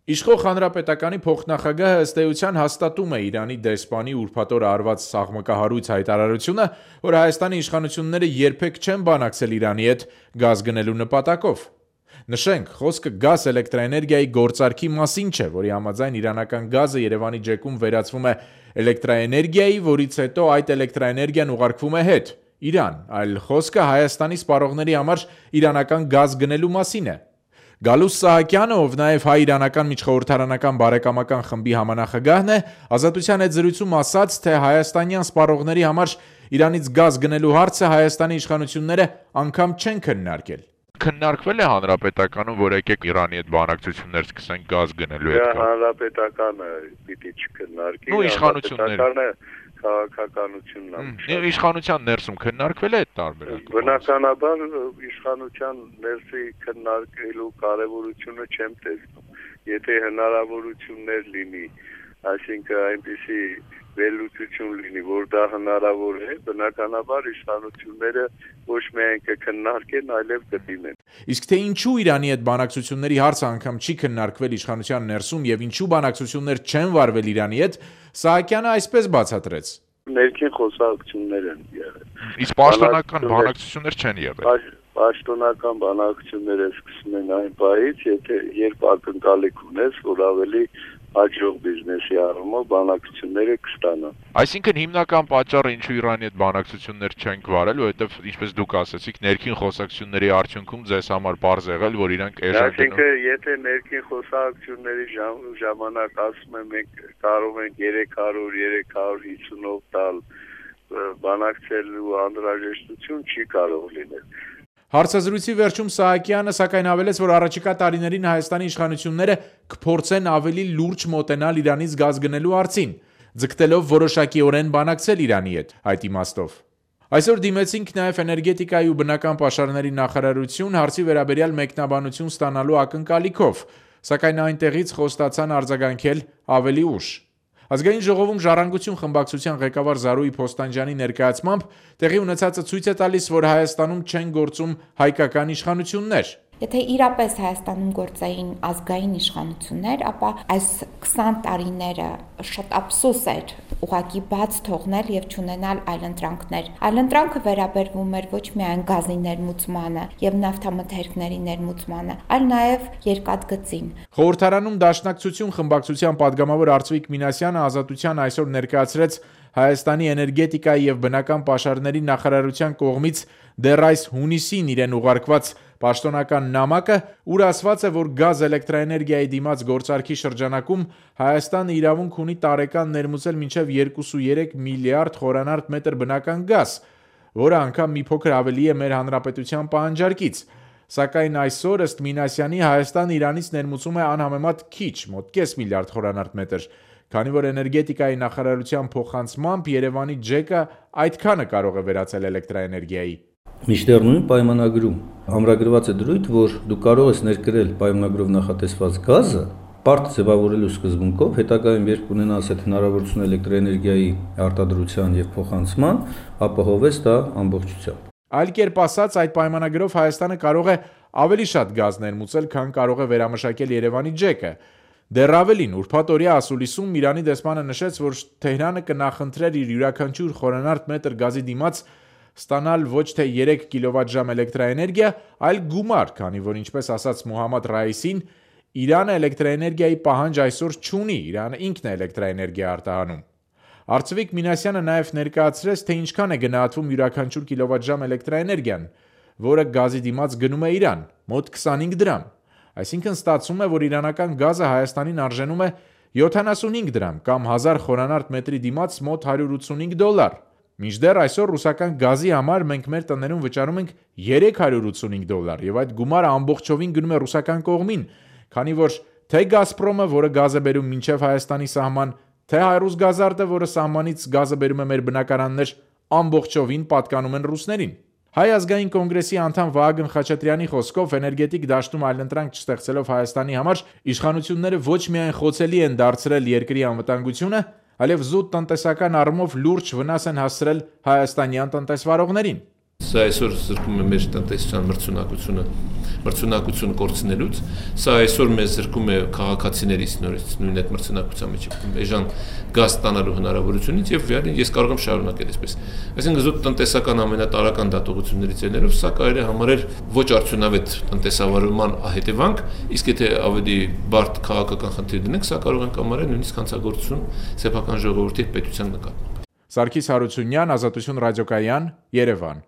Իշխող հանրապետականի փոխնախագահը ըստ էության հաստատում է Իրանի դեսպանի ուրբաթ օր արված սաղմկահարույց հայտարարությունը, որ Հայաստանի իշխանությունները երբեք չեն բանակցել Իրանի հետ գազ գնելու նպատակով։ Նշենք, խոսքը գազ էլեկտրաէներգիայի գործարքի մասին չէ, որի համաձայն իրանական գազը Երևանի ջեկում վերածվում է էլեկտրաէներգիայի, որից հետո այդ էլեկտրաէներգիան ուղարկվում է հետ Իրան, այլ խոսքը Հայաստանի սպառողների համար իրանական գազ գնելու մասին է։ Գալուս Սահակյանը, ով նաև հայ-իրանական միջխորհրդարանական բարեկամական խմբի համանախագահն է, Ազատության հետ զրույցում ասաց, թե հայաստանյան սպառողների համար Իրանից գազ գնելու հարցը Հայաստանի իշխանությունները անգամ չեն քննարկել։ Քննարկվել է հանրապետականում, որ եկեք Իրանի հետ բանակցություններ սկսենք գազ գնելու հետ։ Հանրապետականը պիտի չքննարկի։ Ու իշխանությունները քաղաքականությունն է։ Իշխանության ներսում քննարկվել է այդ տարբերակը։ Բնականաբար իշխանության ներսի քննարկելու կարևորությունը չեմ տեսնում։ Եթե հնարավորություններ լինի, այսինքն այնպիսի վերլուծություն լինի, որ դա հնարավոր է, բնականաբար իշխանությունները ոչ միայն կքննարկեն, այլև կդիմեն։ Իսկ թե ինչու Իրանի հետ բանակցությունների հարցը անգամ չի քննարկվել իշխանության ներսում եւ ինչու բանակցություններ չեն վարվել Իրանի հետ, Սահակյանը այսպես բացատրեց. Ներքին խոսակցություններ են եղել։ Իսկ պաշտոնական բանակցություններ չեն եղել։ Պաշտոնական բանակցությունները սկսում են այն պահից, երբ ակնկալիք ունես, որ ավելի հաջող բիզնեսի առումով բանակցությունները կստանան։ Այսինքն հիմնական պատճառը ինչու Իրանի հետ բանակցություններ չենք վարել, որովհետև ինչպես դուք ասացիք, ներքին խոսակցությունների արդյունքում ձեզ համար բարձ եղել, որ իրանք էժան գնում։ Այսինքն եթե ներքին խոսակցությունների ժամանակ ասում են մենք կարող ենք 300-350-ով տալ բանակցելու անհրաժեշտություն չի կարող լինել։ Հարցազրույցի վերջում Սահակյանը սակայն ավելեց, որ առաջիկա տարիներին Հայաստանի իշխանությունները կփորձեն ավելի լուրջ մոտենալ Իրանից գազ գնելու հարցին, ձգտելով որոշակիորեն բանակցել Իրանի հետ այդ իմաստով։ Այսօր դիմեցինք նաև էներգետիկայի ու բնական պաշարների նախարարություն հարցի վերաբերյալ մեկնաբանություն ստանալու ակնկալիքով, սակայն այնտեղից խոստացան արձագանքել ավելի ուշ։ Ազգային ժողովում Ժառանգություն խմբակցության ղեկավար Զարուհի Փոստանջյանի ներկայացմամբ տեղի ունեցածը ցույց է տալիս, որ Հայաստանում չեն գործում հայկական իշխանություններ։ Եթե իրապես Հայաստանում գործային ազգային իշխանություններ, ապա այս 20 տարիները շատ ափսոս էր ուղղակի բաց թողնել եւ չունենալ այլընտրանքներ։ Այլընտրանքը վերաբերվում էր ոչ միայն գազի ներմուծմանը եւ նավթամթերքների ներմուծմանը, այլ նաեւ երկաթգծին։ Խորհրդարանում Դաշնակցություն խմբակցության падգամավոր Արծվիկ Մինասյանը Ազատության այսօր ներկայացրեց Հայաստանի էներգետիկայի եւ բնական պաշարների նախարարության կողմից դեռ այս հունիսին իրեն ուղարկված պաշտոնական նամակը, ուր ասված է, որ գազ էլեկտրաէներգիայի դիմաց գործարքի շրջանակում Հայաստանը իրավունք ունի տարեկան ներմուծել մինչև 2.3 միլիարդ խորանարդ մետր բնական գազ, որը անգամ մի փոքր ավելի է մեր հանրապետության պահանջարկից։ Սակայն այսօր ըստ Մինասյանի Հայաստանը Իրանից ներմուծում է անհամեմատ քիչ, մոտ կես միլիարդ խորանարդ մետր, քանի որ էներգետիկայի նախարարության փոխանցմամբ Երևանի ջեկը այդքանը կարող է վերածել էլեկտրաէներգիայի։ Մինչդեռ նույն պայմանագրում ամրագրված է դրույթ, որ դու կարող ես ներկրել պայմանագրով նախատեսված գազը պարտ ձևավորելու սկզբունքով, հետագայում երբ ունենաս այդ հնարավորությունը էլեկտրաէներգիայի արտադրության եւ փոխանցման, ապահովես դա ամբողջությամբ։ Այլ կերպ ասած, այդ պայմանագրով Հայաստանը կարող է ավելի շատ գազ ներմուծել, քան կարող է վերամշակել Երևանի ջեկը։ Դեռ ավելին, ուրբաթ օրյա ասուլիսում Իրանի դեսպանը նշեց, որ Թեհրանը կնախընտրեր իր յուրաքանչյուր խորանարդ մետր գազի դիմաց ստանալ ոչ թե 3 կիլովատժամ էլեկտրաէներգիա, այլ գումար, քանի որ ինչպես ասաց Մոհամմադ Ռայիսին, Իրանը էլեկտրաէներգիայի պահանջ այսօր չունի, Իրանը ինքն է էլեկտրաէներգիա արտահանում։ Արծվիկ Մինասյանը նաև ներկայացրեց, թե ինչքան է գնահատվում յուրաքանչյուր կիլովատժամ էլեկտրաէներգիան, որը գազի դիմաց գնում է Իրան, մոտ 25 դրամ։ Այսինքն ստացվում է, որ իրանական գազը Հայաստանին արժենում է 75 դրամ կամ 1000 խորանարդ մետրի դիմաց մոտ $185։ Մինչդեռ այսօր ռուսական գազի համար մենք մեր տներում վճարում ենք $385 եւ այդ գումարը ամբողջովին գնում է ռուսական կողմին, քանի որ թե Գազպրոմը, որը գազ է բերում մինչև Հայաստանի սահման, թե Հայրուսգազարդը, որը սահմանից գազը բերում է մեր բնակարաններ, ամբողջովին պատկանում են ռուսներին։ Հայ ազգային կոնգրեսի անդամ Վահագն Խաչատրյանի խոսքով էներգետիկ դաշտում այլընտրանք չստեղծելով Հայաստանի համար իշխանությունները ոչ միայն խոցելի են դարձրել երկրի անվտանգությունը, այլև զուտ տնտեսական առումով լուրջ վնաս են հասցրել հայաստանյան տնտեսվարողներին։ Սա այսօր զրկում է մեր տնտեսության մրցունակություն կորցնելուց, սա այսօր մեզ զրկում է քաղաքացիներից նորից նույն այդ մրցունակության մեջ էժան գազ ստանալու հնարավորությունից եւ ես կարող եմ շարունակել այսպես։ Այսինքն զուտ տնտեսական ամենատարրական դատողություններից ելնելով սա կարելի է համարել ոչ արդյունավետ տնտեսավարման հետևանք, իսկ եթե ավելի բարդ քաղաքական խնդիր դնենք, սա կարող ենք համարել նույնիսկ հանցագործություն սեփական ժողովրդի պետության նկատմամբ։ Սարգիս Հարությունյան, Ազատություն ռադիոկայան, Երևան։